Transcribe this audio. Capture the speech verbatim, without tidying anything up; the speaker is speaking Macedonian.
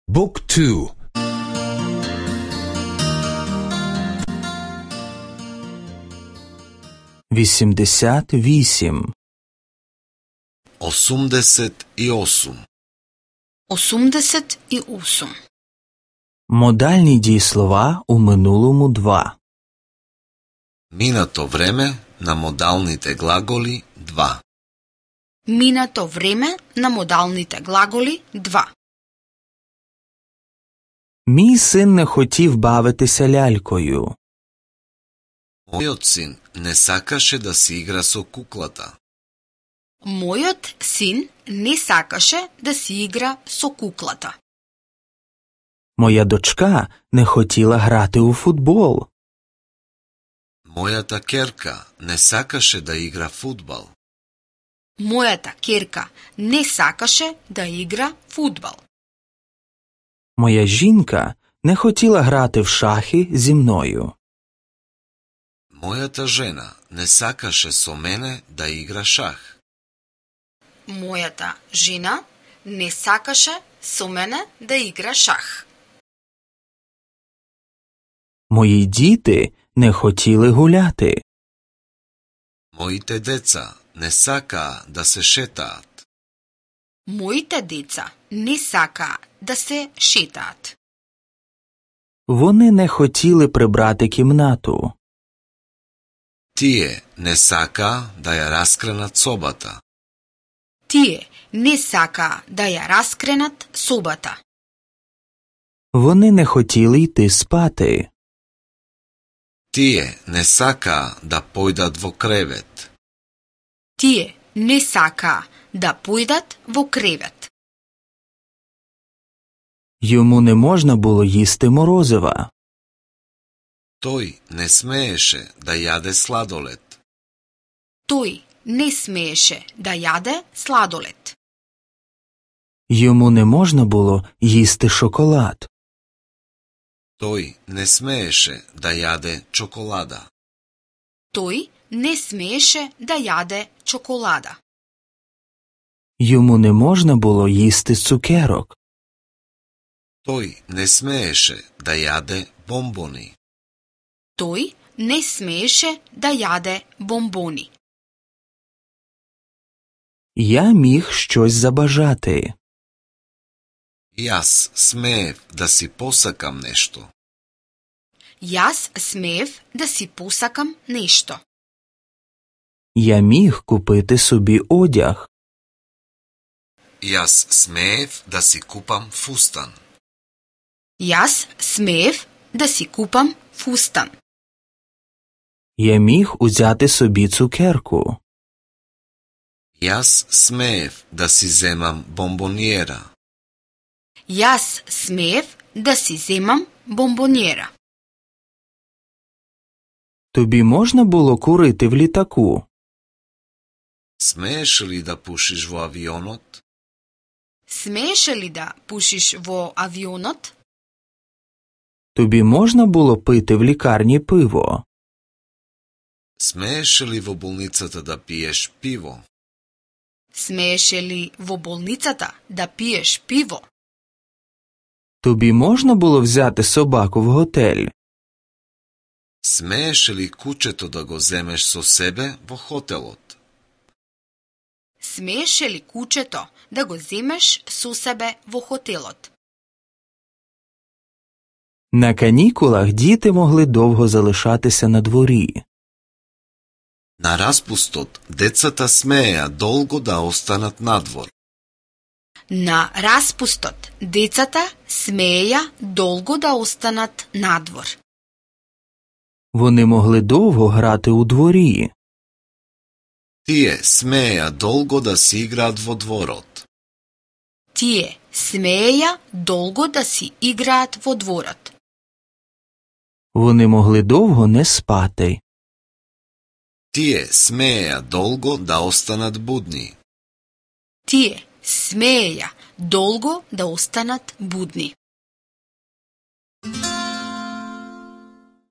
Book two. вісімдесят вісім. осумдесет и осум. осумдесет и осум. Модальні дієслова у минулому два. Минато време на модалните глаголи два. Минато време на модалните глаголи два. Мій син не хотів бавитися лялькою. Мојот син не сакаше да си игра со куклата. Мојот син не сакаше да си игра со куклата. Моя дочка не хотіла грати у футбол. Мојата керка не сакаше да игра фудбал. Мојата керка не сакаше да игра фудбал. Моя жінка не хотіла грати в шахи зі мною. Мојата жена не сакаше со мене да игра шах. Мојата жена не сакаше со мене да игра шах. Мої діти не хотіли гуляти. Моите деца не сакаа да се шетаат. Моите деца не сакаа да се шетаат. Вони не хотіли прибрати кімнату. Тие не сакаа да ја раскренат собата. Тие не сакаа да ја раскренат собата. Вони не хотіли йти спати. Тие не сакаа да појдат во кревет. Тие не сакаа да појдат во кревет. Йому не можна було їсти морозива. Тој не смееше да јаде сладолед. Тој не смееше да јаде сладолед. Йому не можна було їсти шоколад. Тој не смееше да јаде чоколада. Тој не смееше да јаде чоколада. Йому не можна було їсти цукерок. Тој не смееше да јаде бомбони. Тој не смееше да јаде бомбони. Я міг щось забажати. Јас смеев да си посакам нешто. Јас смеев да си посакам нешто. Я міг купити собі одяг. Јас смеев да си купам фустан. Јас смеев да си купам фустан. Я міг узяти собі цукерку. Јас смеев да си земам бомбониера. Јас смеев да си земам бомбониера. Тобі можна було курити в літаку? Смееш ли да пушиш во авионот? Смееше ли да пушиш во авионот? Тобі можна було пити в лікарні пиво? Смееш ли во болницата да пиеш пиво? Смееше ли во болницата да пиеш пиво? Тобі можна було взяти собаку в готель? Смееш ли кучето да го земеш со себе во хотелот? Смееше ли кучето да го земеш со себе во хотелот? На канікулах діти могли довго залишатися на дворі. На распустот децата смееа долго да останат надвор. На распустот децата смееја долго да останат надвор. Вони могли довго грати у дворі. Тие смееа долго да си играат во дворот. Тие смееја долго да си играат во дворот. Вони могли довго не спати. Тие смееа долго да останат будни. Тие смееја долго да останат будни.